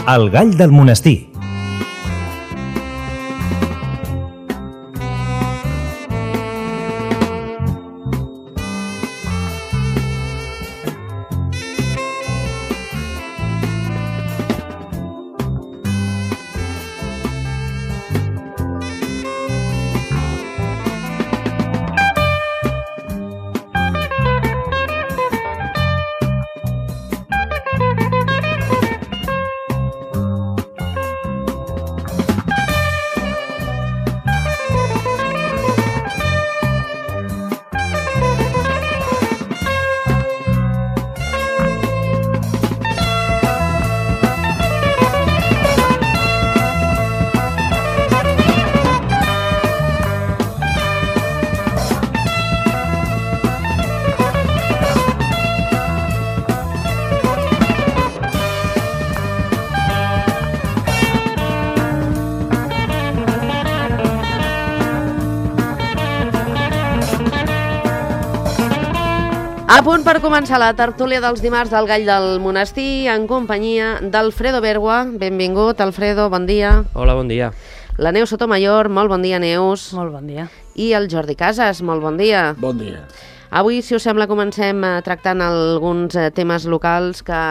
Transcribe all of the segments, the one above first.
El gall del monestir. A punt per començar la tertúlia dels dimarts del Gall del Monestir en companyia d'Alfredo Bergua. Benvingut, Alfredo, bon dia. Hola, bon dia. La Neus Sotomayor, molt bon dia, Neus. Molt bon dia. I el Jordi Casas, molt bon dia. Bon dia. Avui, si us sembla, comencem tractant alguns temes locals que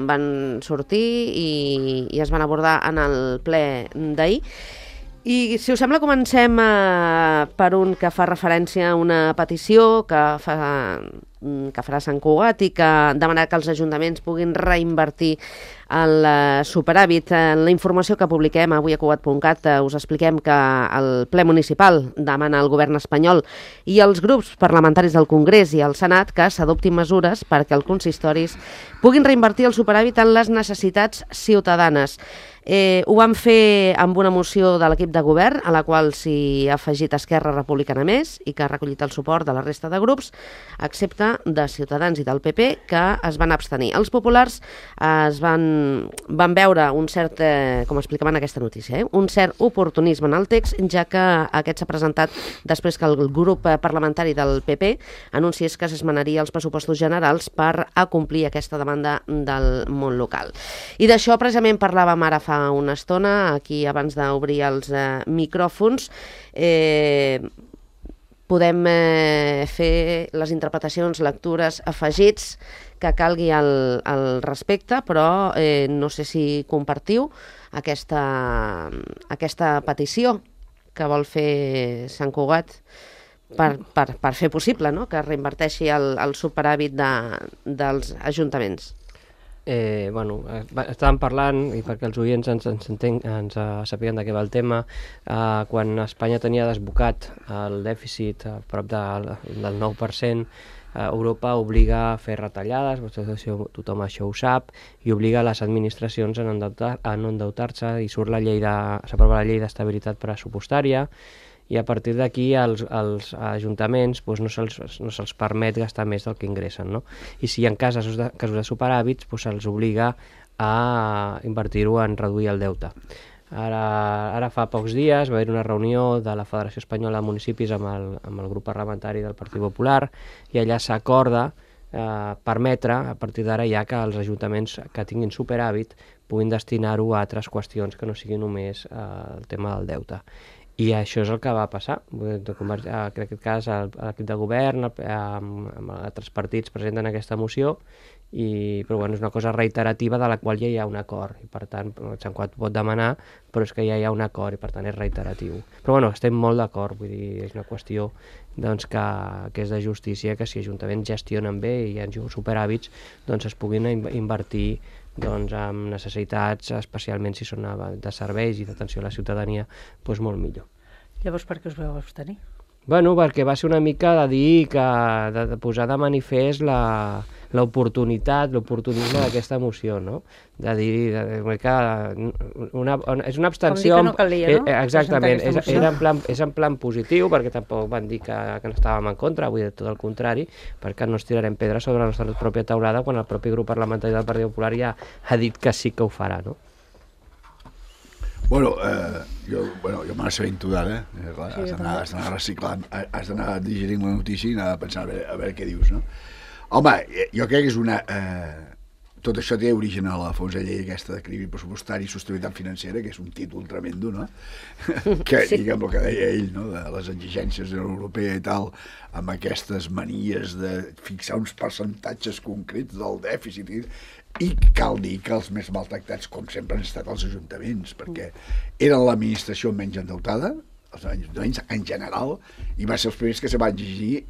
van sortir i es van abordar en el ple d'ahir. I, si us sembla, comencem per un que fa referència a una petició que farà Sant Cugat i que demanarà que els ajuntaments puguin reinvertir el superàvit. En la informació que publiquem avui a Cugat.cat us expliquem que el ple municipal demana al govern espanyol i als grups parlamentaris del Congrés i al Senat que s'adoptin mesures perquè els consistoris puguin reinvertir el superàvit en les necessitats ciutadanes. Ho van fer amb una moció de l'equip de govern, a la qual s'hi ha afegit Esquerra Republicana Més i que ha recollit el suport de la resta de grups, excepte de Ciutadans i del PP, que es van abstenir. Els populars van veure un cert, com explicaven aquesta notícia, un cert oportunisme en el text, ja que aquest s'ha presentat després que el grup parlamentari del PP anunciés que s'esmenaria els pressupostos generals per acomplir aquesta demanda del món local. I d'això precisament parlàvem ara fa una estona, aquí abans d'obrir els micròfons. Podem fer les interpretacions, lectures, afegits que calgui al respecte, però no sé si compartiu aquesta petició que vol fer Sant Cugat per fer possible, no?, que reinverteixi el superàvit dels ajuntaments. Estàvem parlant, i perquè els oients ens sapiguen de què va el tema, quan Espanya tenia desbocat el dèficit a prop del 9%, Europa obliga a fer retallades, tothom això ho sap, i obliga les administracions a no endeutar-se, i s'aprova la llei d'estabilitat pressupostària, i a partir d'aquí als ajuntaments no se'ls permet gastar més del que ingressen, no? I si hi ha casos de superàvits, se'ls obliga a invertir-ho en reduir el deute. Ara fa pocs dies va haver una reunió de la Federació Espanyola de Municipis amb el grup parlamentari del Partit Popular, i allà s'acorda permetre, a partir d'ara ja, que els ajuntaments que tinguin superàvit puguin destinar-ho a altres qüestions que no sigui només el tema del deute. I això és el que va passar. En aquest cas, l'equip de govern, amb altres partits presenten aquesta moció, però és una cosa reiterativa de la qual ja hi ha un acord. I per tant, Sant Cugat pot demanar, però és que ja hi ha un acord i per tant és reiteratiu. Però estem molt d'acord, vull dir, és una qüestió que és de justícia, que si ajuntaments gestionen bé i hi ha superàvits, es puguin invertir amb necessitats, especialment si són de serveis i d'atenció a la ciutadania, molt millor. Llavors, per què us vau abstenir? Perquè va ser una mica de dir de posar de manifest l'oportunisme d'aquesta moció, no? De dir que és una abstenció... Com dir que no calia, no? Exactament, és en plan positiu, perquè tampoc van dir que no estàvem en contra, vull dir tot el contrari, perquè no ens tirarem pedra sobre la nostra pròpia teulada quan el propi grup parlamentari del Partit Popular ja ha dit que sí que ho farà, no? Jo me n'assabento d'ara, has d'anar reciclant, has d'anar digerint la notícia i anar pensant a veure què dius, no? Home, jo crec que és una tot això té origen a la famosa llei aquesta d'equilibri pressupostari i sostenibilitat financera, que és un títol tremendo, no? Que, diguem, el que deia ell, no? De les exigències de la Unió Europea i tal, amb aquestes manies de fixar uns percentatges concrets del dèficit i cal dir que els més maltractats, com sempre, han estat els ajuntaments, perquè eren l'administració menys endeutada, els ajuntaments en general, i va ser els primers que se van exigir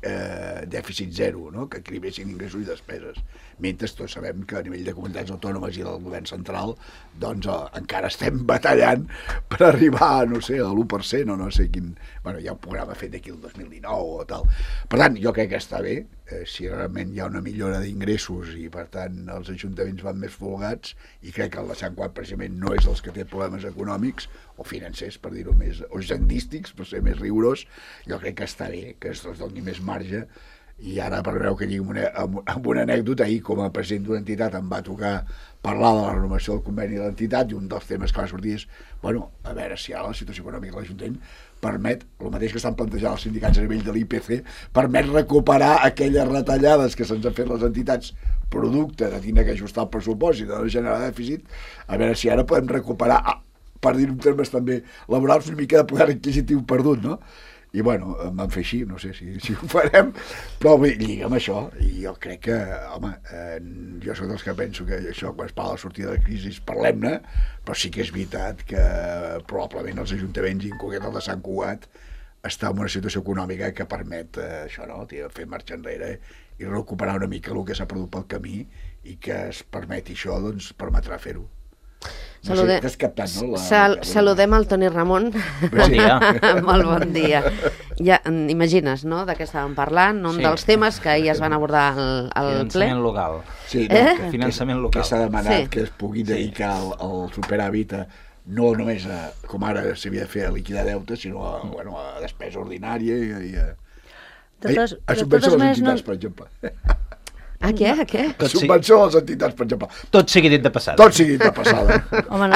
dèficit zero, no? Que equilibressin ingressos i despeses. Mentre tots sabem que a nivell de comunitats autònomes i del govern central doncs encara estem batallant per arribar, no sé, a l'1% o no sé quin... Bueno, hi ha un programa fet d'aquí el 2019 o tal. Per tant, jo crec que està bé, si realment hi ha una millora d'ingressos i per tant els ajuntaments van més folgats, i crec que el de Sant Cugat precisament no és dels que té problemes econòmics o financers, per dir-ho més, o gendístics, per ser més rigorós, jo crec que està bé, que es doni més marge. I ara, per veure que lligui amb una anècdota, ahir com a president d'una entitat em va tocar parlar de la renovació del conveni de l'entitat, i un dels temes que va sortir és, bueno, a veure si ara la situació econòmica de l'Ajuntament permet, el mateix que estan plantejant els sindicats a nivell de l'IPC, permet recuperar aquelles retallades que se'ns han fet les entitats producte de tindre que ajustar el pressupost i de no generar dèficit, a veure si ara podem recuperar, per dir-ho en termes també laborals, una mica de poder adquisitiu perdut, no? I bueno, em van fer així, no sé si ho farem, però lliga amb això, i jo crec que, home, jo soc dels que penso que això, quan es parla de la sortida de la crisi, parlem-ne, però sí que és veritat que probablement els ajuntaments, i en concret el de Sant Cugat, està en una situació econòmica que permet això, no?, fer marxa enrere i recuperar una mica el que s'ha perdut pel camí, i que es permeti això, doncs permetrà fer-ho. No sé, t'has captat, no? Saludem el Toni Ramon. Bon dia. Molt bon dia. Ja imagines, no?, de què estàvem parlant, un dels temes que ahir es van abordar al ple. Finançament local. Sí, finançament local. Que s'ha demanat que es pugui dedicar el superàvit no només com ara s'havia de fer a liquidar deute, sinó a despesa ordinària i a subvenció a les entitats, per exemple. A què? Subvenció a les entitats, per exemple. Tot sigui dit de passada. Tot sigui dit de passada.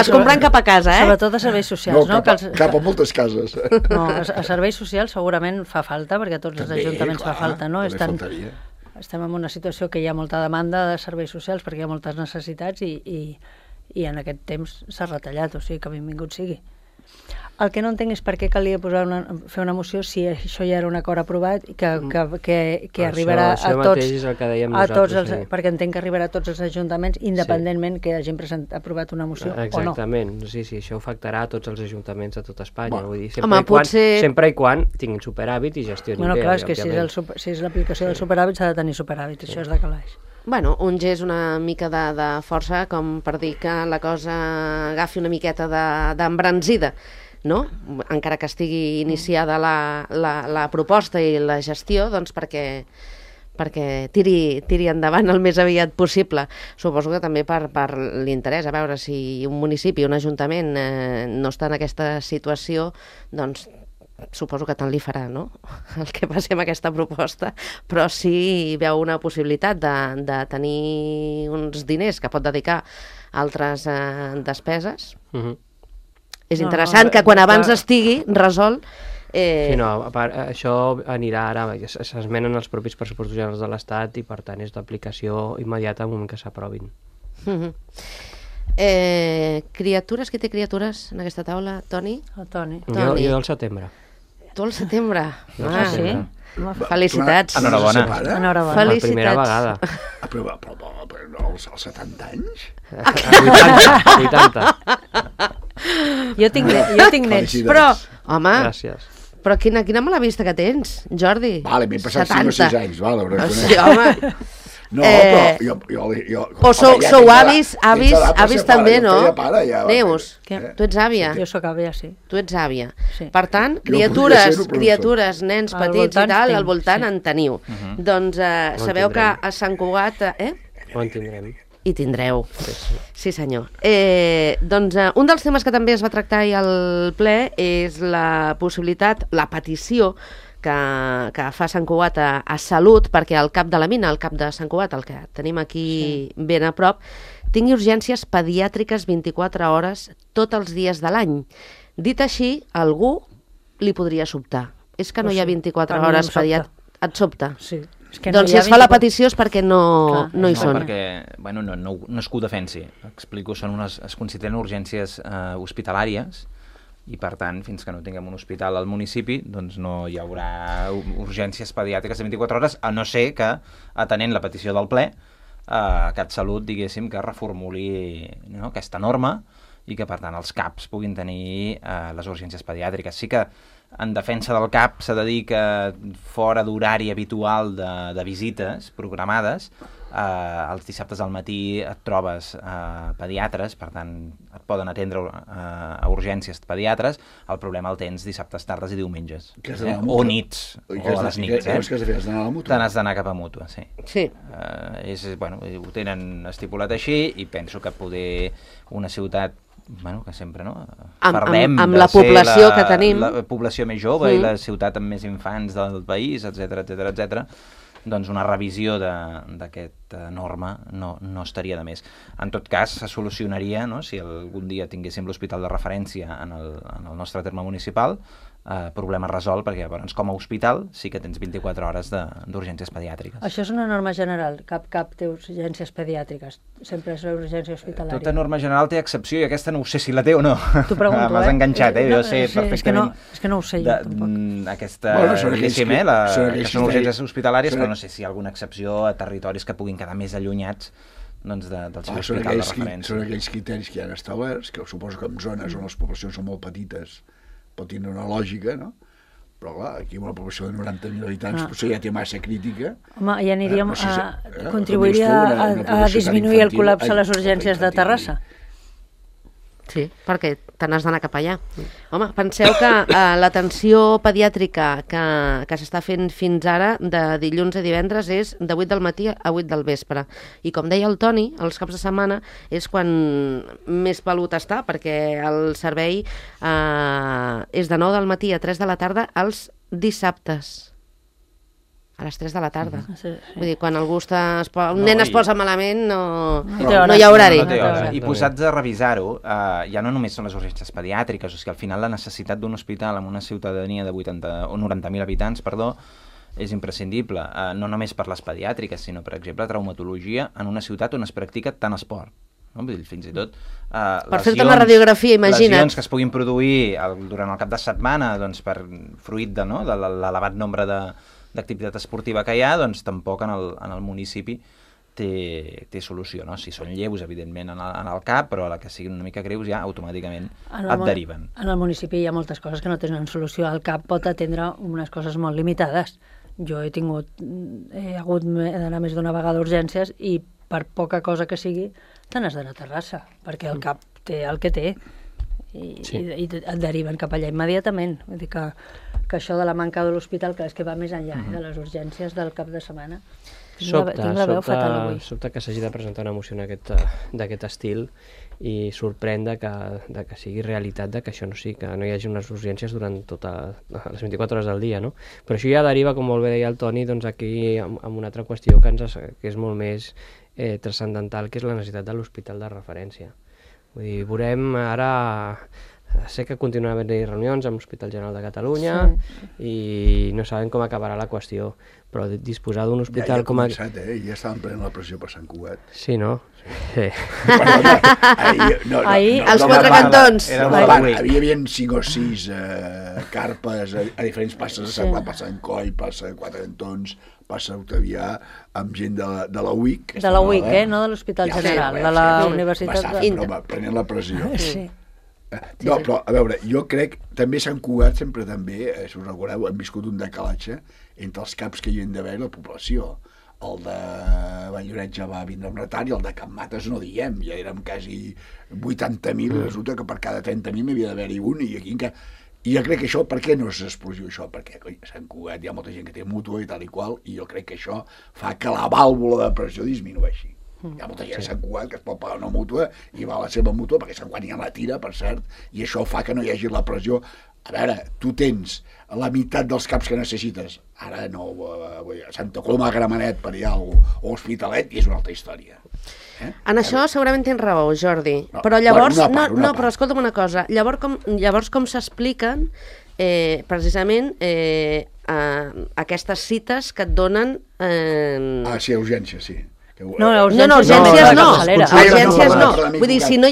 Es compren cap a casa, Sobretot a serveis socials, no? Cap a moltes cases. No, a serveis socials segurament fa falta, perquè a tots els ajuntaments fa falta, no? Estem en una situació que hi ha molta demanda de serveis socials perquè hi ha moltes necessitats i en aquest temps s'ha retallat, o sigui que benvingut sigui. El que no entenc és per què calia fer una moció si això ja era un acord aprovat i que arribarà a tots, perquè entenc que arribarà a tots els ajuntaments independentment que hagin aprovat una moció o no. Exactament, sí, això afectarà a tots els ajuntaments de tot Espanya. Vull dir, sempre i quan tinguin superàvit i gestionin bé. Clar, és que si és l'aplicació del superàvit s'ha de tenir superàvit, això és de calaix. Bueno, un gest una mica de força com per dir que la cosa agafi una miqueta d'embranzida, no? Encara que estigui iniciada la proposta i la gestió, doncs perquè tiri endavant el més aviat possible. Suposo que també per l'interès, a veure si un municipi, un ajuntament no està en aquesta situació, doncs suposo que tant li farà, no?, el que passi amb aquesta proposta, però si veu una possibilitat de tenir uns diners que pot dedicar a altres despeses, és interessant que quan abans estigui resolt... Sí, no, a part, això anirà ara, s'esmenen els propis pressupostos generals de l'Estat i per tant és d'aplicació immediata en un moment que s'aprovin. Criatures, qui té criatures en aquesta taula? Toni? El Toni. Jo al setembre. Tu al setembre? Sí? Felicitats. Enhorabona. Per primera vegada. Però no, als 70 anys? 80. Jo tinc nets, però... Home, gràcies. Però quina mala vista que tens, Jordi. Vale, m'he passat 5 o 6 anys, vale, ho reconec. Sí, home. No, però jo... O sou avis també, no? Neus, tu ets àvia. Jo sóc àvia, sí. Tu ets àvia. Per tant, criatures, nens petits i tal, al voltant en teniu. Doncs sabeu que a Sant Cugat... Ho en tindrem. I tindreu. Sí, senyor. Doncs un dels temes que també es va tractar ahir al ple és la possibilitat, la petició que fa Sant Cugat a Salut, perquè el cap de la mina, el cap de Sant Cugat, el que tenim aquí ben a prop, tingui urgències pediàtriques 24 hores tots els dies de l'any. Dit així, algú li podria sobtar. És que no hi ha 24 hores pediàtriques. Et sobta? Sí. Doncs si es fa la petició és perquè no hi són. Perquè, bueno, no és que ho defensi. Explico, es consideren urgències hospitalàries i, per tant, fins que no tinguem un hospital al municipi, doncs no hi haurà urgències pediàtriques de 24 hores, a no ser que, atenent la petició del ple, CatSalut, diguéssim, que reformuli aquesta norma i que, per tant, els CAPs puguin tenir les urgències pediàtriques. Sí que, en defensa del CAP, s'ha de dir que fora d'horari habitual de visites programades, els dissabtes al matí et trobes pediatres, per tant, et poden atendre a urgències pediatres. El problema el tens dissabtes, tardes i diumenges. O nits, o a les nits. Què has de fer? Has d'anar a la mútua? Te n'has d'anar cap a mútua, sí. Sí. Ho tenen estipulat així i penso que poder una ciutat que sempre parlem amb la població que tenim, la població més jove i la ciutat amb més infants del país, etc, doncs una revisió d'aquesta norma no estaria de més. En tot cas, se solucionaria, si algun dia tinguéssim l'hospital de referència en el nostre terme municipal, problema resolt, perquè llavors com a hospital sí que tens 24 hores d'urgències pediàtriques. Això és una norma general, cap té urgències pediàtriques, sempre és una urgència hospitalària. Tota norma general té excepció i aquesta no ho sé si la té o no. T'ho pregunto, M'has enganxat, jo sé perfectament. És que no ho sé jo, tampoc. Aquesta, diguéssim, que són urgències hospitalàries, però no sé si hi ha alguna excepció a territoris que puguin quedar més allunyats del seu hospital de referència. Són aquells criteris que hi ha establerts, que suposo que en zones on les poblacions són molt petites pot tenir una lògica, no? Però clar, aquí una població de 90.000 habitants potser ja té massa crítica. Home, ja aniríem contribuiria a disminuir el col·lapse a les urgències de Terrassa. Sí, perquè te n'has d'anar cap allà. Home, penseu que l'atenció pediàtrica que s'està fent fins ara, de dilluns a divendres, és de 8 del matí a 8 del vespre. I com deia el Toni, els caps de setmana és quan més pelut està, perquè el servei és de 9 del matí a 3 de la tarda els dissabtes. A les 3 de la tarda. Sí. Vull dir, quan algú un nen es posa malament, no hi ha horari. I posats a revisar-ho, ja no només són les urgències pediàtriques, o sigui, al final la necessitat d'un hospital amb una ciutadania de 90.000 habitants, és imprescindible, no només per les pediàtriques, sinó, per exemple, traumatologia en una ciutat on es practica tant esport. Fins i tot per fer-te una radiografia, imagina't. Lesions que es puguin produir durant el cap de setmana fruit de l'elevat nombre d'activitat esportiva que hi ha, doncs tampoc en el municipi té solució, no? Si són lleus, evidentment, en el CAP, però a la que siguin una mica greus ja automàticament et deriven. En el municipi hi ha moltes coses que no tenen solució. El CAP pot atendre unes coses molt limitades. Jo he hagut d'anar més d'una vegada a urgències i per poca cosa que sigui te n'has d'anar a Terrassa, perquè el CAP té el que té i et deriven cap allà immediatament. Vull dir que això de la manca de l'hospital, que és que va més enllà de les urgències del cap de setmana. Tinc la veu fatal avui. Sobta que s'hagi de presentar una moció d'aquest estil i sorprèn que sigui realitat que això no sigui, que no hi hagi unes urgències durant totes les 24 hores del dia, no? Però això ja deriva, com molt bé deia el Toni, doncs aquí amb una altra qüestió que és molt més transcendental, que és la necessitat de l'hospital de referència. Vull dir, veurem ara... Sé que continuen havent-hi reunions amb l'Hospital General de Catalunya i no sabem com acabarà la qüestió, però disposar d'un hospital com... Ja ha començat, ja estaven prenent la pressió per Sant Cugat. Sí, no? Sí. Ahir, als quatre cantons. Hi havia 5 o 6 carpes a diferents passes de Sant Cugat, passa en Coll, passa a Quatre Cantons, passa a Octavià, amb gent de la UIC. De la UIC, no de l'Hospital General, de la Universitat de... Prenent la pressió. Sí. No, però, a veure, jo crec, també Sant Cugat sempre també, si us recordeu, hem viscut un decalatge entre els caps que hi havia d'haver i la població. El de Valldoreix ja va vindre amb retard i el de Can Mates no diem, ja érem quasi 80.000, resulta que per cada 30.000 n'havia d'haver-hi un i aquí encara... I jo crec que això, per què no s'explosiu això? Perquè a Sant Cugat hi ha molta gent que té mútua i tal i qual, i jo crec que això fa que la vàlvula de pressió disminueixi. Hi ha molta gent a Sant Cugat que es pot pagar una mútua i va a la seva mútua perquè Sant Cugat ja la tira, per cert, i això fa que no hi hagi la pressió. A veure, tu tens la meitat dels caps que necessites, ara no, a Santa Coloma de Gramenet per allà o Hospitalet, i és una altra història. En això segurament tens raó, Jordi, però llavors, però escolta'm una cosa, llavors com s'expliquen precisament aquestes cites que et donen... Sí, a urgència, sí. No, urgències no. Urgències no. Vull Vull dir, si no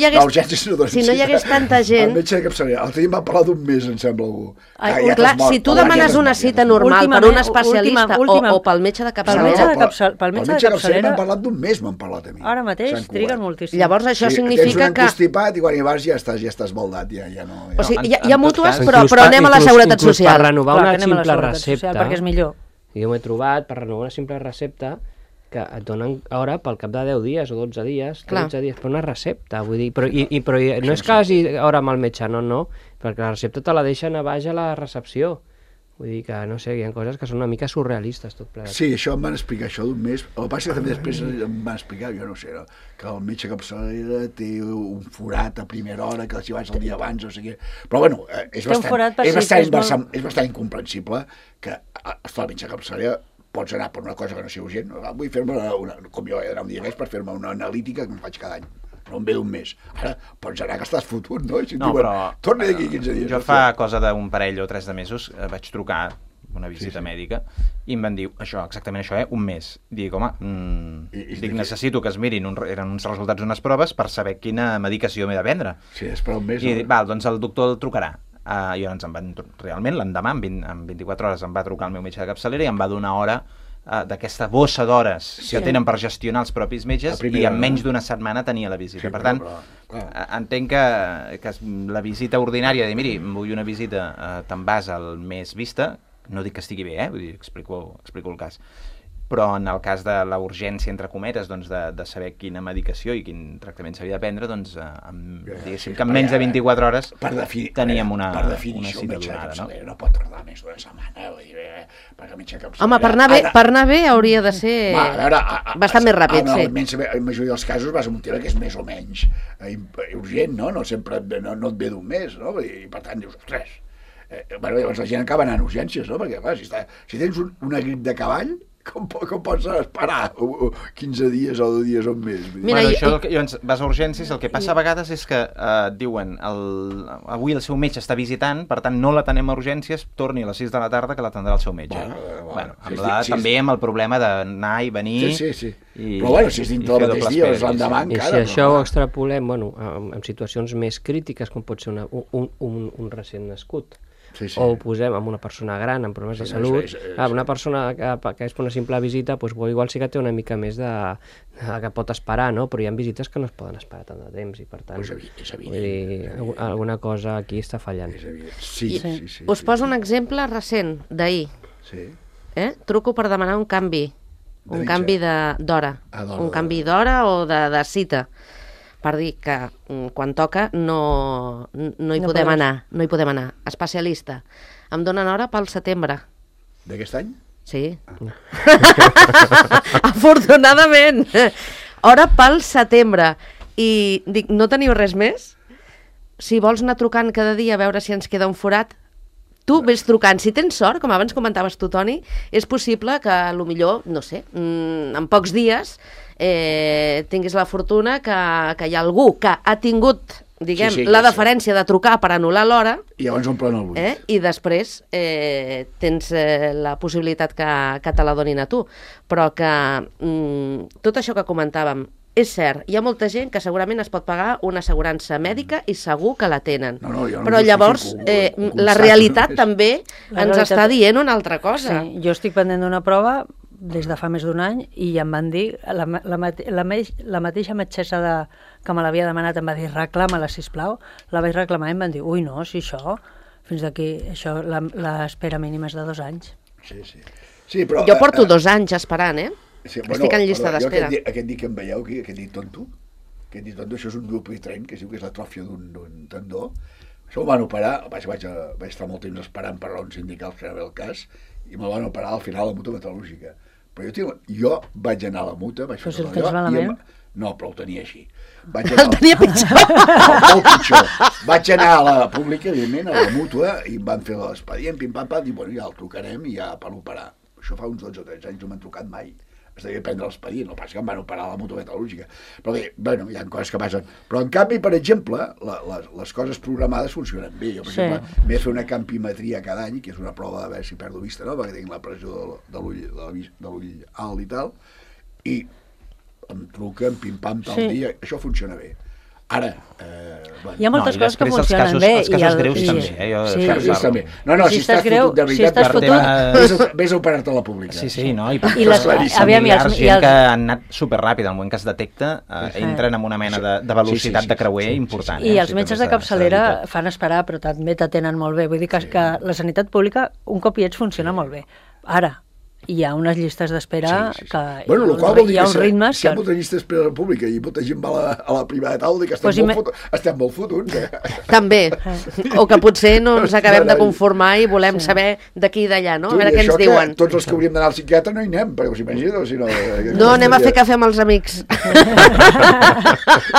hi hagués tanta gent... El metge de capçalera. L'altre dia em va parlar d'un mes, em sembla, algú. Clar, si tu demanes una cita normal per un especialista o pel metge de capçalera... Pel metge de capçalera m'han parlat d'un mes, m'han parlat a mi. Ara mateix triguen moltíssim. Llavors això significa que... Tens un encostipat i quan hi vas ja estàs baldat, ja no... O sigui, hi ha mútues, però anem a la Seguretat Social. Per renovar una simple recepta... Perquè és millor. Jo m'he trobat, per renovar una simple recepta, que et donen hora pel cap de 10 dies o 12 dies, 13 dies, per una recepta, vull dir, però no és que hagi hora amb el metge, no, perquè la recepta te la deixen a baix a la recepció, vull dir que, no sé, hi ha coses que són una mica surrealistes tot plegat. Sí, això em van explicar, això d'un mes, el que passa que també després em van explicar, jo no sé, que el metge capçalera té un forat a primera hora, que si vas el dia abans, no sé què, però bueno, és bastant incomprensible que el metge capçalera pots anar per una cosa que no sigui urgent. Vull fer-me com jo he d'anar un dia més per fer-me una analítica que em faig cada any. No em ve d'un mes. Ara pots anar que estàs fotut, no? Si però... Torna d'aquí 15 dies. Jo fa cosa d'un parell o 3 de mesos vaig trucar una visita mèdica i em van dir exactament això, un mes. Dic, home, necessito que es mirin, eren uns resultats d'unes proves per saber quina medicació m'he de prendre. Sí, esperar un mes. I dic, doncs el doctor el trucarà. I llavors realment l'endemà, en 24 hores, em va trucar el meu metge de capçalera i em va donar hora d'aquesta bossa d'hores que tenen per gestionar els propis metges i en menys d'una setmana tenia la visita. Per tant, entenc que la visita ordinària, de miri, vull una visita, te'n vas al mes vista, no dic que estigui bé, vull dir, explico el cas, però en el cas de la urgència, entre cometes, doncs de saber quina medicació i quin tractament s'havia de prendre, doncs diguéssim que en menys de 24 hores teníem una cita donada. No pot tardar més d'una setmana, vull dir, perquè el metge de capçalera... Home, per anar bé hauria de ser bastant més ràpid, sí. En la majoria dels casos vas a un tema que és més o menys urgent, no? No sempre no et ve d'un mes, no? I per tant dius, ostres... Llavors la gent acaba anant a urgències, no? Perquè, clar, si tens una grip de cavall, com pots esperar 15 dies o 2 dies o un mes? Llavors vas a urgències, el que passa a vegades és que diuen avui el seu metge està visitant, per tant no l'atenem a urgències, torni a les 6 de la tarda que l'atendrà el seu metge. També amb el problema d'anar i venir... Sí. Però bueno, si és dintre del mateix dia, és l'endemà encara... I si això ho extrapolem en situacions més crítiques, com pot ser un recent nascut, o ho posem amb una persona gran amb problemes de salut, una persona que és per una simple visita, igual sí que té una mica més que pot esperar, no? Però hi ha visites que no es poden esperar tant de temps i per tant alguna cosa aquí està fallant. Sí. Us poso un exemple recent d'ahir. Truco per demanar un canvi d'hora, un canvi d'hora o de cita, per dir que quan toca no hi podem anar. Especialista. Em donen hora pel setembre. D'aquest any? Sí. Afortunadament. Hora pel setembre. I dic, no teniu res més? Si vols anar trucant cada dia a veure si ens queda un forat, tu vés trucant. Si tens sort, com abans comentaves tu, Toni, és possible que, potser, no sé, en pocs dies tinguis la fortuna que hi ha algú que ha tingut, la deferència de trucar per anul·lar l'hora i llavors omplen el buit. I després tens la possibilitat que te la donin a tu. Però que tot això que comentàvem, és cert, hi ha molta gent que segurament es pot pagar una assegurança mèdica i segur que la tenen. Però llavors la realitat també ens està dient una altra cosa. Sí, jo estic pendent d'una prova des de fa més d'un any i em van dir, la mateixa metgessa que me l'havia demanat em va dir reclama-la, sisplau, la vaig reclamar i em van dir, ui no, si això, fins d'aquí, això, l'espera mínima és de 2 anys. Sí, però... Jo porto 2 anys esperant, estic en llista d'espera. Aquest dit que em veieu, aquest dit tonto, això és un dupli-tren, que es diu que és l'atròfia d'un tendó. Això m'ho van operar, vaig estar molt temps esperant per raons sindicals, que era bé el cas, i me'l van operar al final a la mutua metal·lúrgica. Però jo vaig anar a la mutua, vaig fer allò... No, però ho tenia així. El tenia pitjor. Molt pitjor. Vaig anar a la pública, evidentment, a la mútua, i em van fer l'expedient, pim-pam-pam, i ja el trucarem i ja per l'operar. Això fa uns 12 o 13 anys no m'han trucat mai. es devia prendre l'expedient, no passa que em van operar la mútua metal·lúrgica. Però bé, bueno, hi ha coses que passen. Però en canvi, per exemple, les coses programades funcionen bé. Jo, per exemple, m'he de fer una campimetria cada any, que és una prova de veure si perdo vista, no? Perquè tinc la pressió de l'ull alt i tal, i em truquen, pim-pam, tal dia, això funciona bé. Ara, bueno. Hi ha moltes coses que funcionen bé. Els casos greus també. Els casos greus també. No, si estàs fotut de veritat, vés a operar-te a la pública. Sí, no? I les familiars, gent que han anat superràpid, al moment que es detecta, entren en una mena de velocitat de creuer important. I els metges de capçalera fan esperar, però també t'atenen molt bé. Vull dir que la sanitat pública, un cop hi ets, funciona molt bé. Ara, hi ha unes llistes d'espera que bueno, hi ha uns ritmes si hi ha molta llista d'espera a la pública i molta gent va a la privada tal, que estem molt fotuts. També. O que potser no ens acabem de conformar i volem saber d'aquí i d'allà, no? A veure què ens diuen. Tots els que hauríem d'anar al psiquiatre no hi anem, perquè us imagino, si no... No, anem a fer cafè amb els amics.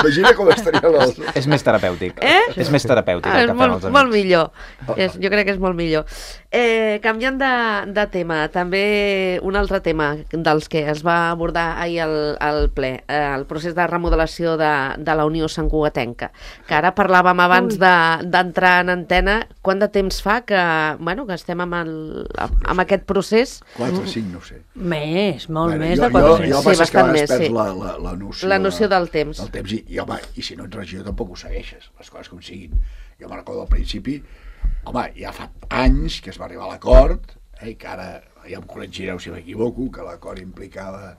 Imagina com estaria els... És més terapèutic. És més terapèutic el cafè amb els amics. Molt millor. Jo crec que és molt millor. Canviant de tema, també un altre tema dels que es va abordar ahir al ple, el procés de remodelació de la Unió Santcugatenca, que ara parlàvem abans d'entrar en antena. Quant de temps fa que estem amb aquest procés? 4 o 5, no ho sé. Més, molt més de 4 o 5. Sí, bastant més, sí. La noció del temps. I si no ets regidor tampoc ho segueixes, les coses com siguin. Jo me'n recordo al principi, ja fa anys que es va arribar a l'acord, i que ara ja em corregireu si m'equivoco, que l'acord implicava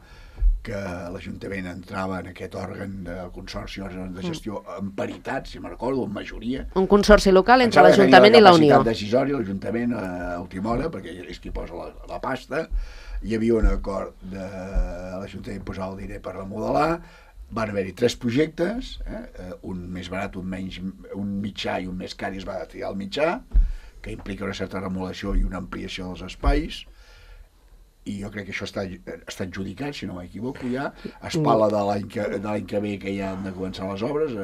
que l'Ajuntament entrava en aquest òrgan de consorci, òrgan de gestió en paritat, si me'n recordo, en majoria. Un consorci local entre l'Ajuntament i la Unió. La capacitat decisòria, l'Ajuntament a última hora, perquè és qui posa la pasta. Hi havia un acord de l'Ajuntament posar el diner per remodelar. Van haver-hi 3 projectes, un més barat, un mitjà i un més car, i es va triar el mitjà, que implica una certa remodelació i una ampliació dels espais, i jo crec que això està adjudicat, si no m'equivoco, ja. Es parla de l'any que ve que ja han de començar les obres.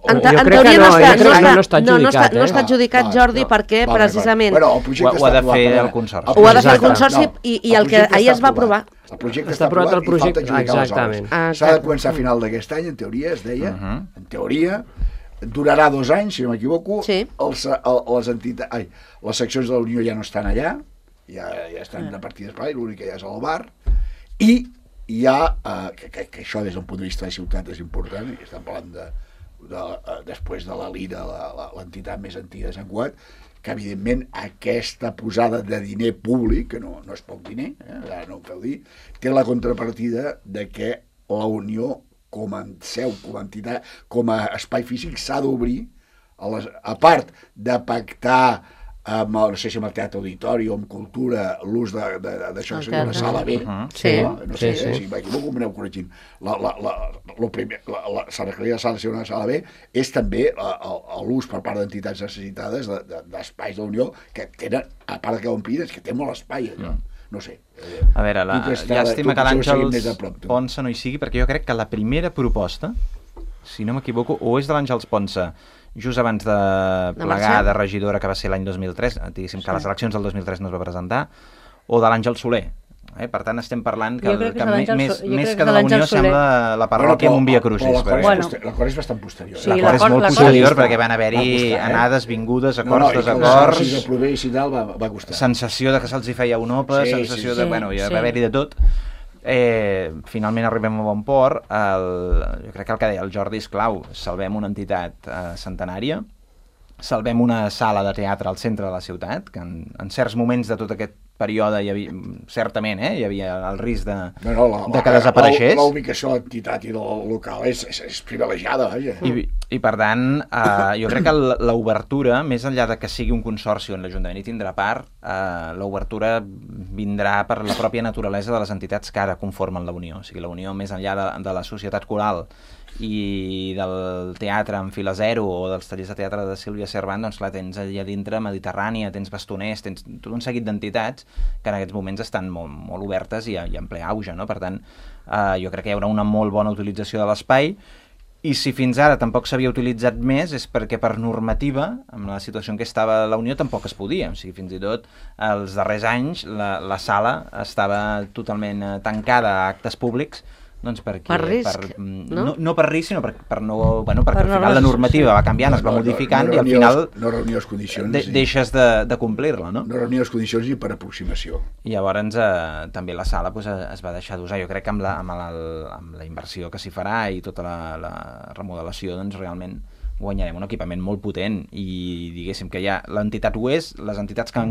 En teoria no està adjudicat, Jordi, perquè precisament ho ha de fer el consorci. Ho ha de fer el consorci i el que ahir es va aprovar. El projecte està aprovat i falta adjudicar les obres. S'ha de començar a final d'aquest any, en teoria, es deia, en teoria. Durarà 2 anys, si no m'equivoco. Les seccions de la Unió ja no estan allà, ja estan de partides per allà, l'únic que ja és al bar, i hi ha, que això des d'un punt de vista de ciutat és important, i estem parlant després de la Lira, l'entitat més antiga de Sant Cugat, que evidentment aquesta posada de diner públic, que no és poc diner, ara no ho feu dir, té la contrapartida de que la Unió com a seu, com a entitat, com a espai físic, s'ha d'obrir, a part de pactar no sé si amb el teatre auditori o amb cultura, l'ús d'això que seria la sala B, no sé si m'equivoco, m'aneu corregint. S'ha requerit la sala de ser una sala B, és també l'ús per part d'entitats necessitades d'espais de la Unió que tenen, a part que ompliden, que té molt espai allò. No sé. A veure, llàstima que l'Àngels Ponsa no hi sigui, perquè jo crec que la primera proposta, si no m'equivoco, o és de l'Àngels Ponsa, just abans de plegar de regidora, que va ser l'any 2003, diguéssim que a les eleccions del 2003 no es va presentar, o de l'Àngel Soler. Per tant, estem parlant que més que de la Unió sembla la parròquia amb un via crucis. L'acord és bastant posterior. L'acord és molt posterior perquè van haver-hi anades, vingudes, acords, desacords, sensació de que se'ls hi feia un opa, sensació de... Bueno, ja va haver-hi de tot. Finalment arribem a bon port. Jo crec que el que deia el Jordi és clau. Salvem una entitat centenària, salvem una sala de teatre al centre de la ciutat, que en certs moments de tot aquest període hi havia, certament, hi havia el risc de que desapareixés. La ubicació de l'entitat i del local és privilegiada. I per tant, jo crec que l'obertura, més enllà de que sigui un consorci on l'Ajuntament hi tindrà part, l'obertura vindrà per la pròpia naturalesa de les entitats que ara conformen la Unió. O sigui, la Unió, més enllà de la societat coral i del teatre en fila zero o dels tallers de teatre de Sílvia Servant, doncs clar, tens allà dintre Mediterrània, tens Bastoners, tens tot un seguit d'entitats que en aquests moments estan molt obertes i en ple auge, no? Per tant, jo crec que hi haurà una molt bona utilització de l'espai I si fins ara tampoc s'havia utilitzat més és perquè per normativa, amb la situació en què estava la Unió, tampoc es podia. O sigui, fins i tot els darrers anys la sala estava totalment tancada a actes públics, doncs perquè... Per risc, no? No per risc, sinó perquè al final la normativa va canviant, es va modificant i al final no reunia les condicions deixes de complir-la, no? No reunia les condicions ni per aproximació. I llavors també la sala es va deixar d'usar. Jo crec que amb la inversió que s'hi farà i tota la remodelació, doncs realment guanyarem un equipament molt potent i diguéssim que ja l'entitat ho és, les entitats que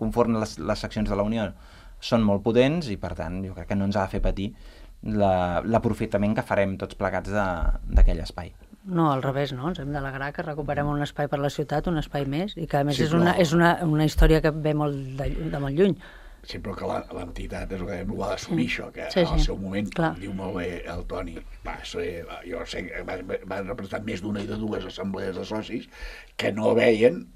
conformen les seccions de la Unió són molt potents i per tant jo crec que no ens ha de fer patir l'aprofitament que farem tots plegats d'aquell espai. No, al revés, no? Ens hem d'alegrar que recuperem un espai per la ciutat, un espai més, i que a més Sí, és una història que ve de molt lluny. Sí, però que l'entitat és el que ho ha d'assumir, això, que Sí, al sí. seu moment, Clar. diu molt bé el Toni, jo sé que va representar més d'una i de dues assemblees de socis que no veien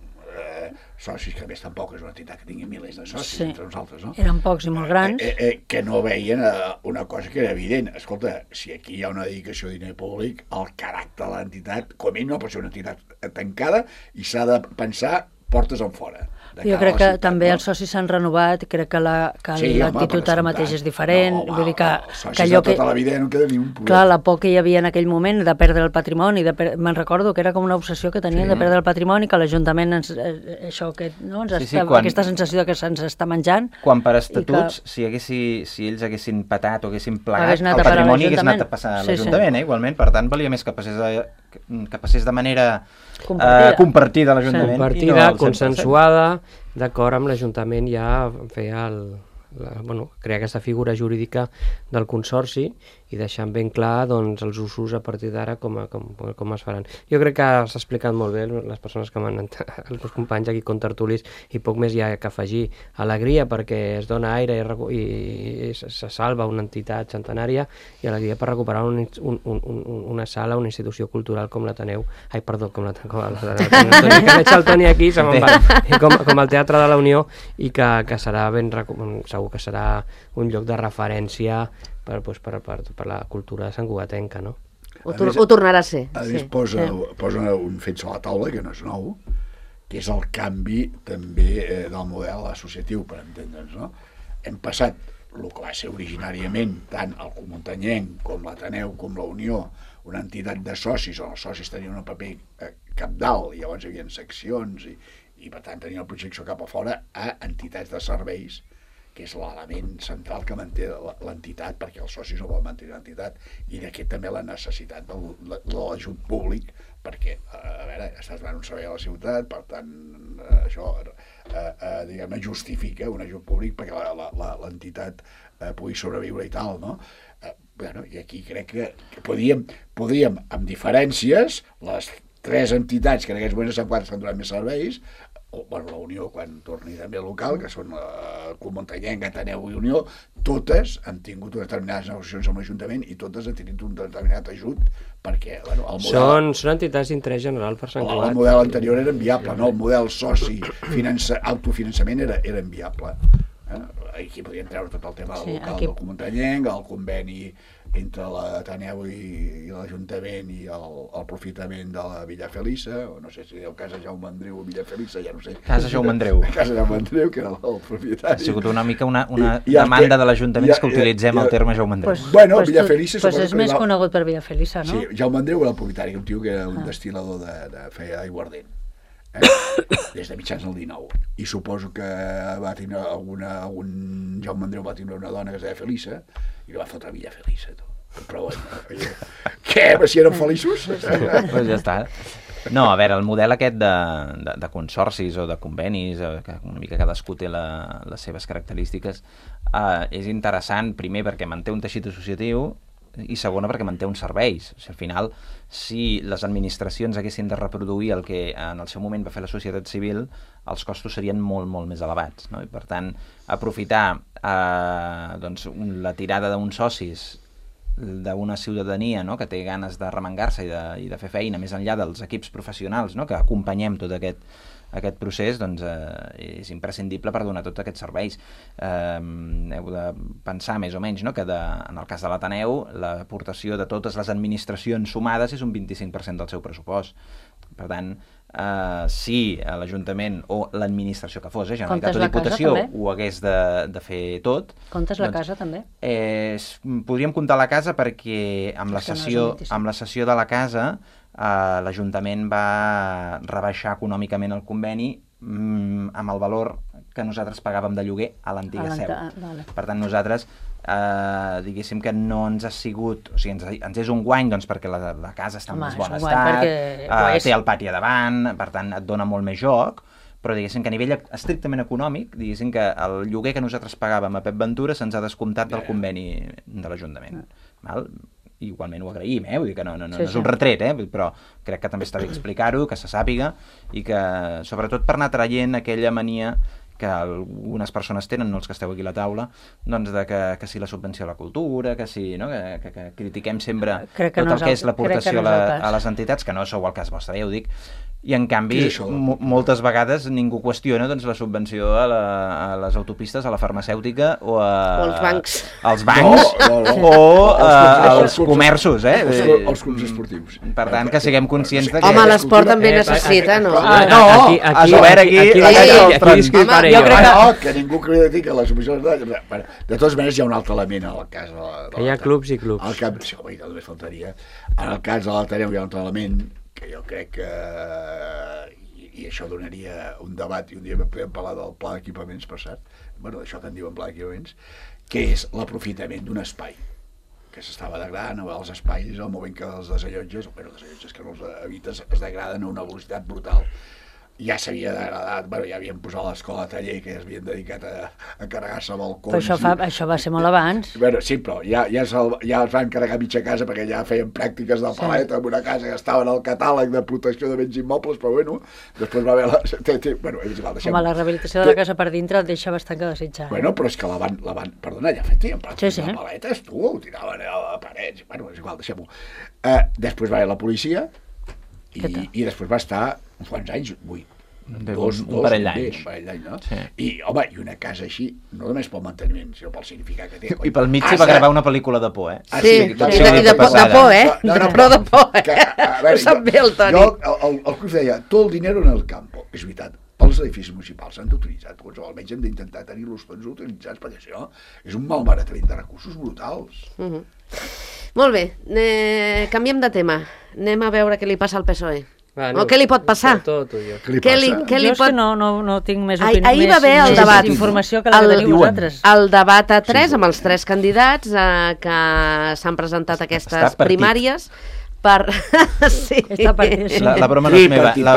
socis, que a més tampoc és una entitat que tingui milers de socis Sí. entre nosaltres, no? Eren pocs i molt grans. Que no veien una cosa que era evident. Escolta, si aquí hi ha una dedicació de diner públic, el caràcter de l'entitat, com ell no pot ser una entitat tancada i s'ha de pensar portes en fora. Jo crec que també els socis s'han renovat, crec que l'actitud ara mateix és diferent, vull dir que allò que... Tota la vida no queda ni un poder. Clar, la por que hi havia en aquell moment de perdre el patrimoni, me'n recordo que era com una obsessió que tenien de perdre el patrimoni, que l'Ajuntament aquesta sensació que se'ns està menjant. Quan per estatuts, si ells haguessin patat o haguessin plegat, el a patrimoni hagués anat a passar a Sí, l'Ajuntament, igualment, per tant valia més que passés de manera compartida a l'Ajuntament. Compartida, consensuada, d'acord amb l'Ajuntament ja feia crear aquesta figura jurídica del consorci i deixant ben clar doncs, els usos a partir d'ara com es faran. Jo crec que s'ha explicat molt bé les persones que m'han els meus companys aquí contertulis i poc més hi ha que afegir. Alegria perquè es dona aire i se salva una entitat centenària i alegria per recuperar una sala, una institució cultural com l'Ateneu, com l'Ateneu, que veig el Toni aquí, se me'n va, com el Teatre de la Unió i que serà segur que serà un lloc de referència per la cultura santcugatenca, no? Ho tornarà a ser. A més, posa un fet sobre la taula, que no és nou, que és el canvi també del model associatiu, per entendre'ns, no? Hem passat el que va ser originàriament tant el Comuntanyenc com l'Ateneu com la Unió, una entitat de socis, on els socis tenien un paper cabdal, i llavors hi havia seccions i per tant tenien la projecció cap a fora, a entitats de serveis, que és l'element central que manté l'entitat, perquè els socis no volen mantenir l'entitat, i d'aquí també la necessitat de l'ajut públic, perquè, a veure, estàs donant un servei a la ciutat, per tant, això, diguem-ne, justifica un ajut públic perquè l'entitat pugui sobreviure i tal, no? I aquí crec que podíem, amb diferències, les tres entitats que en aquests moments s'han donat més serveis, la Unió quan torni també local, que són Comuntanyenc, Ateneu i Unió, totes han tingut unes determinades negociacions amb l'Ajuntament i totes han tingut un determinat ajut perquè el model... Són entitats d'interès general per Sant Cugat. El model anterior era inviable, no? El model soci, autofinançament era inviable. Aquí podien treure tot el tema local del Comuntanyenc, el conveni entre l'Ateneu i l'Ajuntament i el profitament de la Villa Felissa, o no sé si el Casa Jaume Andreu o Villa Felissa, ja no sé. Casa Jaume Andreu. Casa Jaume Andreu, que era el propietari. Ha sigut una mica una demanda de l'Ajuntament que utilitzem el terme Jaume Andreu. Bueno, Villa Felissa... Doncs és més conegut per Villa Felissa, no? Sí, Jaume Andreu era el propietari, un tio que era un destil·lador de feia aiguardent. Des de mitjans del 19. I suposo que va tenir algun Jaume Andreu va tenir una dona que es deia Felissa i la va fotre a Villa Felissa, tu. Però bueno, què? Si eren feliços? Pues ja està. No, a veure, el model aquest de consorcis o de convenis, que una mica cadascú té les seves característiques, és interessant, primer, perquè manté un teixit associatiu, i segona, perquè manté uns serveis. O sigui, al final, si les administracions haguessin de reproduir el que en el seu moment va fer la societat civil, els costos serien molt, molt més elevats, no? I per tant, aprofitar la tirada d'uns socis d'una ciutadania, no?, que té ganes de remengar-se i de fer feina més enllà dels equips professionals, no?, que acompanyem tot aquest aquest procés, doncs és imprescindible per donar tots aquests serveis. Heu de pensar més o menys, no?, que en el cas de l'Ateneu l'aportació de totes les administracions sumades és un 25% del seu pressupost. Per tant, si l'Ajuntament o l'administració que fos, Generalitat o Diputació, ho hagués de fer tot... Comptes la casa, també? Podríem comptar la casa perquè amb la cessió de la casa l'Ajuntament va rebaixar econòmicament el conveni amb el valor que nosaltres pagàvem de lloguer a l'antiga seu. Per tant, nosaltres diguéssim que no ens ha sigut, o sigui, ens és un guany doncs perquè la casa està en més bon estat, té el pati a davant, per tant et dona molt més joc, però diguéssim que a nivell estrictament econòmic, diguéssim que el lloguer que nosaltres pagàvem a Pep Ventura se'ns ha descomptat del conveni de l'Ajuntament. Igualment ho agraïm, vull dir que no és un retret, però crec que també està bé explicar-ho, que se sàpiga, i que sobretot per anar traient aquella mania que algunes persones tenen, no els que esteu aquí a la taula, doncs que si la subvenció a la cultura, que si, no?, que critiquem sempre tot el que és l'aportació a les entitats, que no sou el cas vostre, ja ho dic, i en canvi moltes vegades ningú qüestiona doncs la subvenció a les autopistes, a la farmacèutica o als bancs o als comerços, als clubs esportius. Per tant, que siguem conscients de que... Home, l'esport també necessita, no? Que ningú critica que la subvenció... De totes maneres hi ha un altre element en el cas de l'Ateneu. Que hi ha clubs i clubs. Sí, home, només faltaria. En el cas de l'Ateneu hi ha un altre element que jo crec que, i això donaria un debat, i un dia podem parlar del pla d'equipaments, per cert, d'això que en diuen pla d'equipaments, que és l'aprofitament d'un espai que s'estava degradant, els espais, al moment que els desallotges, que no els habites, es degraden a una velocitat brutal. Ja s'havia degradat, ja havien posat l'escola de taller, que ja es havien dedicat a carregar-se balcons. Però això va ser molt abans. Sí, però ja els van carregar mitja casa perquè ja feien pràctiques de paleta en una casa que estava en el catàleg de protecció de béns immobles, però després va haver Home, la rehabilitació de la casa per dintre et deixa bastant que desitjar. Però és que la van perdona, ja feien pràctiques de paletes, ho tiraven a la paret, és igual, deixem-ho. Després va haver la policia i després va estar uns quants anys, un parell d'anys, no? I, home, i una casa així, no només pel manteniment, sinó pel significat que té. I pel mig s'hi va gravar una pel·lícula de por, Sí, de por, però de por, Ho sap bé el Toni. El Cruz deia, tot el dinero en el campo. És veritat, els edificis municipals s'han d'utilitzar, almenys hem d'intentar tenir-los tots utilitzats, perquè això és un malbaratament de recursos brutals. Molt bé, canviem de tema. Anem a veure què li passa al PSOE. O què li pot passar? Què li passa? Jo és que no tinc més opinió, ahir va haver el debat, informació que la teniu vosaltres. El debat a 3 amb els 3 candidats que s'han presentat a aquestes primàries per... La broma no és meva. La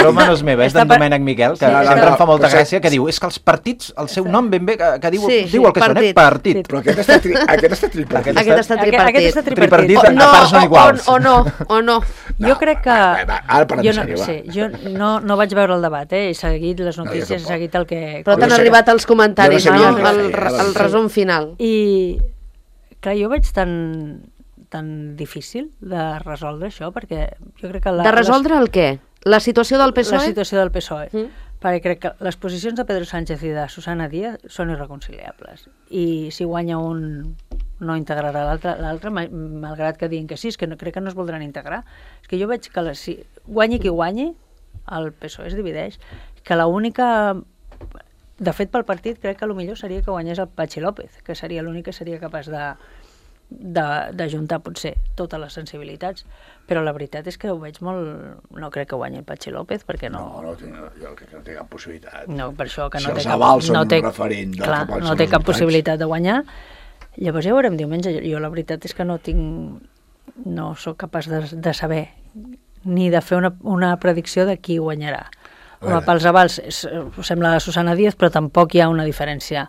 broma no és meva, és d'en Domènec Miquel, que sempre em fa molta gràcia, que diu, és que els partits, el seu nom ben bé, que diu el que són, partit. Però aquest està tripartit. Aquest està tripartit. Tripartit a parts no iguals. O no. Jo crec que... Ara parlem sèrio, jo no vaig veure el debat, he seguit les notícies, he seguit el que... Però t'han arribat els comentaris, no? El resum final. I, clar, jo veig tan difícil de resoldre això, perquè jo crec que... De resoldre el què? La situació del PSOE? La situació del PSOE. Perquè crec que les posicions de Pedro Sánchez i de Susana Díaz són irreconciliables. I si guanya un, no integrarà l'altre, malgrat que diguin que sí, és que crec que no es voldran integrar. És que jo veig que si guanyi qui guanyi, el PSOE es divideix, que l'única... De fet, pel partit crec que el millor seria que guanyés el Patxi López, que seria l'únic que seria capaç d'ajuntar potser totes les sensibilitats, però la veritat és que ho veig molt... No crec que guanyi el Patxi López, perquè no... No, jo crec que no té cap possibilitat. No, per això que no té cap... Si els avals són un referent... Clar, no té cap possibilitat de guanyar. Llavors ja veurem diumenge. Jo la veritat és que no sóc capaç de saber ni de fer una predicció de qui guanyarà. Home, pels avals sembla la Susana Díaz, però tampoc hi ha una diferència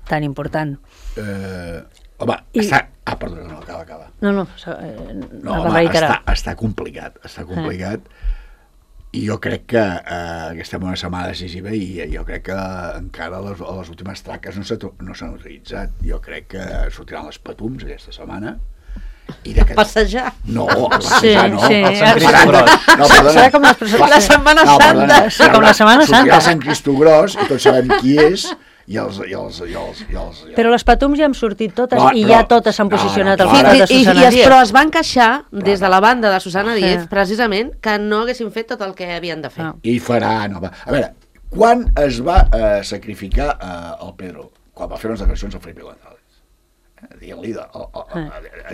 tan important. Home, està... perdona, no, acaba. No, està complicat, i jo crec que estem en una setmana decisiva i jo crec que encara les últimes traques no s'han utilitzat. Jo crec que sortiran les patums aquesta setmana Passejar. No, passejar no. Sí. El Sant Cristogros. No, perdona. Serà com la Setmana Santa. Sí, com la Setmana Santa. Sortirà el Sant Cristogros i tots sabem qui és i els... Però les Patums ja han sortit totes No, i però- ja totes s'han posicionat al no, costat de Susana Díaz. Però es van queixar des de la banda de Susana Sí. Díaz, precisament, que no haguessin fet tot el que havien de fer. Ah. I farà... No, va. A veure, quan es va sacrificar el Pedro? Quan va fer unes declaracions al Felipe González. Dient-li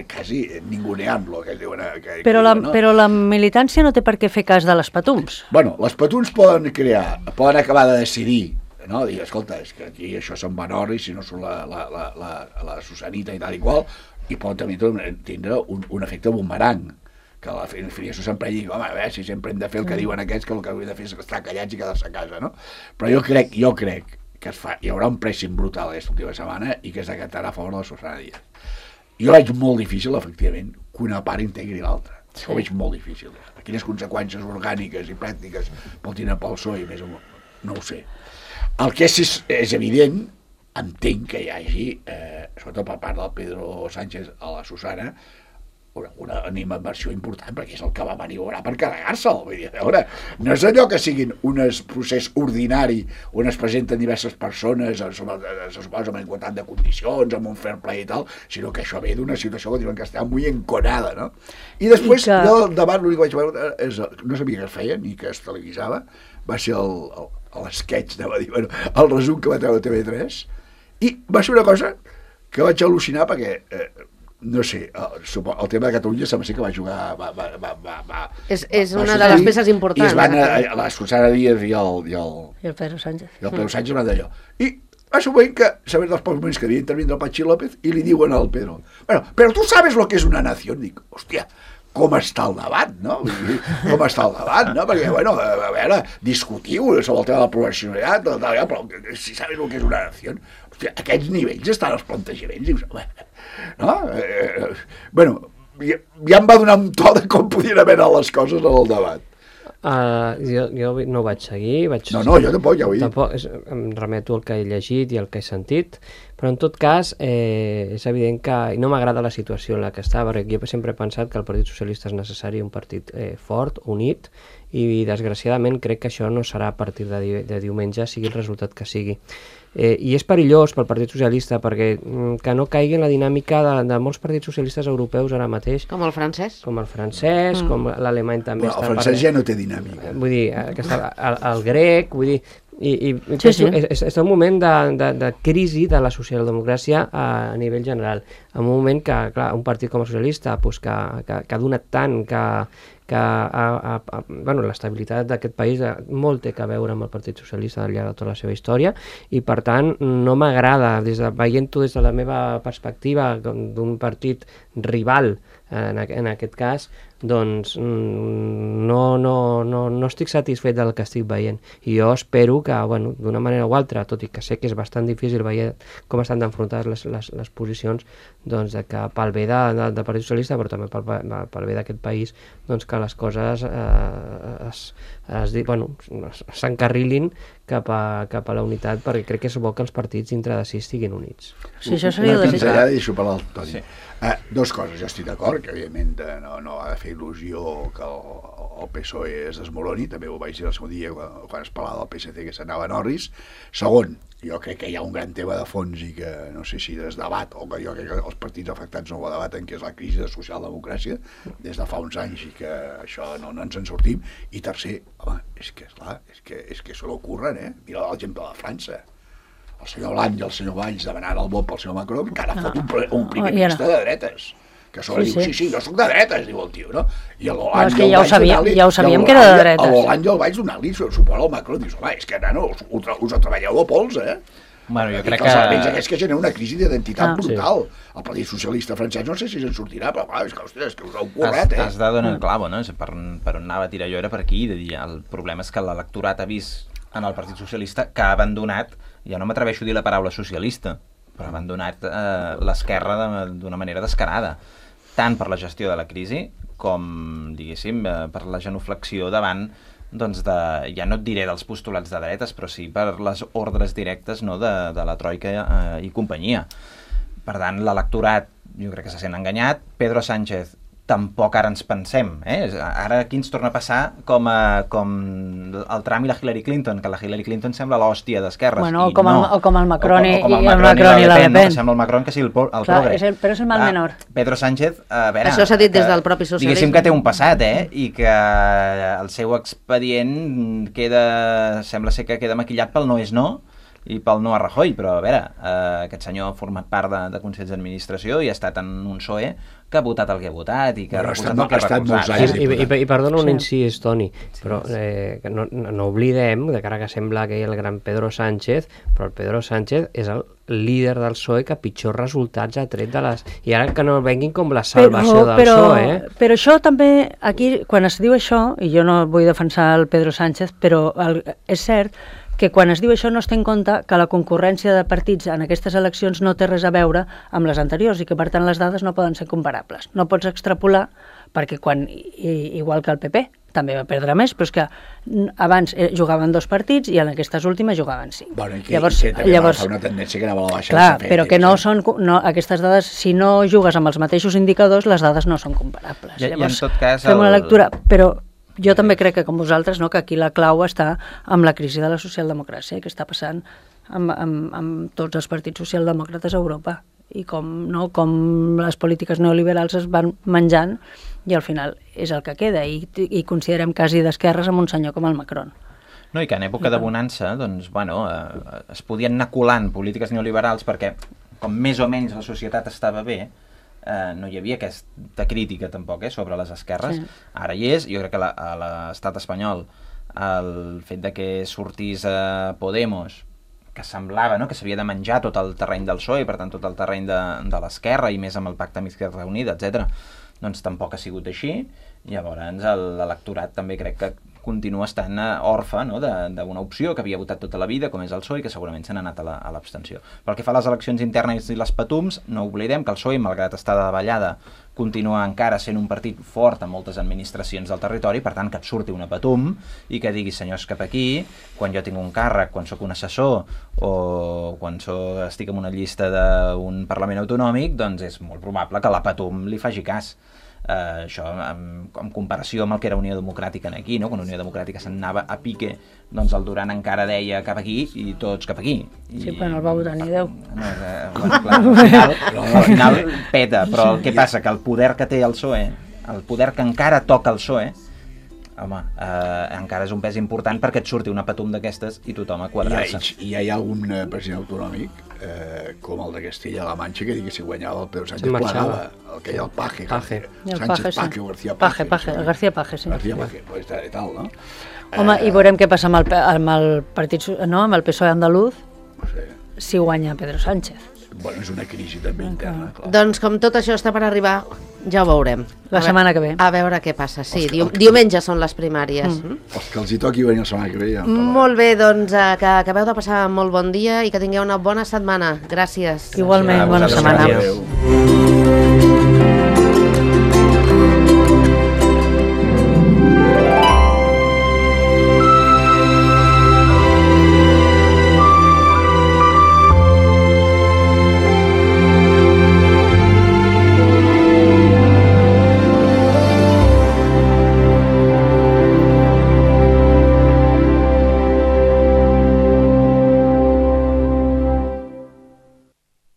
quasi ninguneant-lo, que diuen... Però la militància no té per què fer cas de les Patums. Bueno, les Patums poden acabar de decidir, no? Dir, escolta, és que aquí això són Vanorris, si no són la Susanita i tal i qual, i poden també tindre un efecte bumerang, que la filiació s'emprenya i diu, home, a veure, si sempre hem de fer el que diuen aquests, que el que hauríem de fer és estar callats i quedar-se a casa, no? Però jo crec que hi haurà un pressing brutal aquesta última setmana i que es decantarà a favor de la Susana Díaz. Jo veig molt difícil, efectivament, que una part integri l'altra. Sí. Ho veig molt difícil. Quines conseqüències orgàniques i pràctiques pot tenir pel PSOE, més o menys, no ho sé. El que és evident, entenc que hi hagi, sobretot per part del Pedro Sánchez a la Susana, una animadversió important, perquè és el que va maniobrar per carregar-se'l. Vull dir, a veure, no és allò que siguin un procés ordinari on es presenten diverses persones, se suposa amb igualtat de condicions, amb un fair play i tal, sinó que això ve d'una situació que diuen que està molt enconada, no? I després, jo al debat l'únic que vaig veure no sabia que es feia ni que es televisava, va ser l'esquetx, anava a dir, bueno, el resum que va treure TV3, i va ser una cosa que vaig al·lucinar perquè no sé, el tema de Catalunya sembla ser que va jugar... És una de les peces importants. I es van la Susana Díaz i el I el Pedro Sánchez. I el Pedro Sánchez van d'allò. I va ser un moment que, sabent dels pocs moments que havia intervindre el Pachi López, i li diuen al Pedro, bueno, però tu sabes lo que és una nació? Dic, hòstia, com està el debat, no? Com està el debat, no? Perquè, bueno, a veure, discutiu sobre el tema de la professionalitat, però si sabes lo que és una nació... Hòstia, a aquests nivells estan els plantejaments, dius, no? Bueno, ja em va donar un to de com podien haver anat les coses en el debat. Jo no ho vaig seguir. No, jo tampoc, ja ho he dit. Tampoc, em remeto al que he llegit i al que he sentit, però en tot cas és evident que no m'agrada la situació en la que està, perquè jo sempre he pensat que el Partit Socialista és necessari un partit fort, unit, i desgraciadament crec que això no serà a partir de diumenge, sigui el resultat que sigui. I és perillós pel Partit Socialista perquè que no caigui en la dinàmica de molts partits socialistes europeus ara mateix. Com el francès. Com com l'alemany també. Bueno, el francès ja no té dinàmica. Vull dir, el grec, vull dir... Sí. És un moment de crisi de la socialdemocràcia a nivell general. En un moment que, clar, un partit com el socialista que ha donat tant, bueno, l'estabilitat d'aquest país molt té a veure amb el Partit Socialista al llarg de tota la seva història, i per tant no m'agrada, veient-ho des de la meva perspectiva d'un partit rival en aquest cas, doncs no estic satisfet del que estic veient, i jo espero que, bueno, d'una manera o altra, tot i que sé que és bastant difícil veure com estan enfrontades les posicions, doncs que pel bé del Partit Socialista, però també pel bé d'aquest país, doncs que les coses s'encarrilin cap a la unitat, perquè crec que és bo que els partits dintre de si estiguin units. Sí, això seria una desitjable. pinzellada i deixo parlar el Toni. Sí. Dos coses, jo estic d'acord, que evidentment no ha de fer il·lusió que el PSOE es desmoroni, també ho vaig dir el segon dia quan es parlava del PSC que s'anava a Norris. Segon, jo crec que hi ha un gran tema de fons i que no sé si es debat, o que jo crec que els partits afectats no ho debaten, que és la crisi de socialdemocràcia des de fa uns anys i que això no ens en sortim. I tercer, home, és que se l'ocorren, mira l'exemple de França. El senyor Hollande i el senyor Valls demanant el vot pel senyor Macron, que ara fot un primer ministre de dretes, que sobre diu, sí, jo soc de dretes, diu el tio, no? I l'Hollande i el Valls ja ho sabíem que era de dretes. L'Hollande i el Valls donant-li suport al Macron, dius, home, és que, nano, us treballeu de pols, Bueno, jo crec que... Els elements aquests que generen una crisi d'identitat brutal. Sí. El Partit Socialista francès no sé si se'n sortirà, però clar, és que us heu currat, Has de donar el clavo, no? Per on anava a tirar jo era per aquí, de dir, el problema és que l'electorat ha vist en el Partit Socialista que ha abandonat, ja no m'atreveixo a dir la paraula socialista, però ha abandonat l'esquerra d'una manera descarada, tant per la gestió de la crisi com, diguéssim, per la genuflexió davant, doncs, ja no et diré dels postulats de dretes, però sí per les ordres directes, no, de la Troika i companyia. Per tant, l'electorat jo crec que se sent enganyat. Pedro Sánchez tampoc ara ens pensem, ara aquí ens torna a passar com el Trump i la Hillary Clinton, que la Hillary Clinton sembla l'hòstia d'esquerres. Bueno, o com el Macron i la Le Pen. No, que sembla el Macron que sigui el progre. Però és el mal menor. Pedro Sánchez, a veure... Això s'ha dit des del propi socialisme. Diguéssim que té un passat, i que el seu expedient sembla ser que queda maquillat pel no és no, i pel no a Rajoy, però a veure, aquest senyor ha format part de Consells d'Administració i ha estat en un PSOE que ha votat el que ha votat i que ha recolzat el que ha recolzat. I perdona un incís, Toni, però no oblidem, de cara que sembla que hi ha el gran Pedro Sánchez, però el Pedro Sánchez és el líder del PSOE que pitjors resultats ha tret de les... I ara que no venguin com la salvació del PSOE. Però això també, aquí, quan es diu això, i jo no vull defensar el Pedro Sánchez, però és cert que quan es diu això no es té en compte que la concurrència de partits en aquestes eleccions no té res a veure amb les anteriors i que, per tant, les dades no poden ser comparables. No pots extrapolar perquè igual que el PP, també va perdre més, però és que abans jugaven 2 partits i en aquestes últimes jugaven 5. Bueno, i que també va agafar una tendència que anava a la baixa. Clar, però que no són... aquestes dades, si no jugues amb els mateixos indicadors, les dades no són comparables. Llavors, en tot cas... Fem una lectura, però... Jo també crec que, com vosaltres, que aquí la clau està amb la crisi de la socialdemocràcia que està passant amb tots els partits socialdemòcrates a Europa i com les polítiques neoliberals es van menjant i al final és el que queda i considerem quasi d'esquerres amb un senyor com el Macron. No, i que en època de bonança es podien anar colant polítiques neoliberals perquè com més o menys la societat estava bé, no hi havia aquesta crítica tampoc sobre les esquerres. Sí. Ara hi és, jo crec que a l'estat espanyol el fet de que sortís Podemos, que semblava que s'havia de menjar tot el terreny del PSOE, per tant tot el terreny de l'esquerra i més amb el pacte amb Izquierda Unida, etc. Doncs tampoc ha sigut així. Llavors l'electorat també crec que continua estant orfe d'una opció que havia votat tota la vida, com és el PSOE, que segurament se n'ha anat a l'abstenció. Pel que fa a les eleccions internes i les patums, no oblidem que el PSOE, malgrat estar de davallada, continua encara sent un partit fort en moltes administracions del territori, per tant que et surti una patum i que digui senyors cap aquí, quan jo tinc un càrrec, quan sóc un assessor o quan estic en una llista d'un Parlament autonòmic, doncs és molt probable que la patum li faci cas. Això en comparació amb el que era Unió Democràtica aquí, quan Unió Democràtica se'n anava a pique, doncs el Duran encara deia cap aquí i tots cap aquí. Sí, però no el va votar ni Déu. Al final peta, però el que passa que el poder que té el PSOE, el poder que encara toca el PSOE, home, encara és un pes important perquè et surti una patum d'aquestes i tothom a quadrar-se. I hi ha algun president autonòmic com el de Castilla-La Manxa que digui que si guanyava el Pedro Sánchez plegava, el que hi ha el Paje. Sánchez Paje o García Paje. García Paje, sí. García Paje, pues tal, no? Home, i veurem què passa amb el partit, amb el PSOE andaluz, si guanya Pedro Sánchez. Bueno, és una crisi també interna, clar. Doncs com tot això està per arribar, ja ho veurem. La setmana que ve. A veure què passa, sí. Diumenge són les primàries. Els que els hi toqui venir la setmana que ve ja. Molt bé, doncs que acabeu de passar molt bon dia i que tingueu una bona setmana. Gràcies. Igualment, bona setmana. Adéu.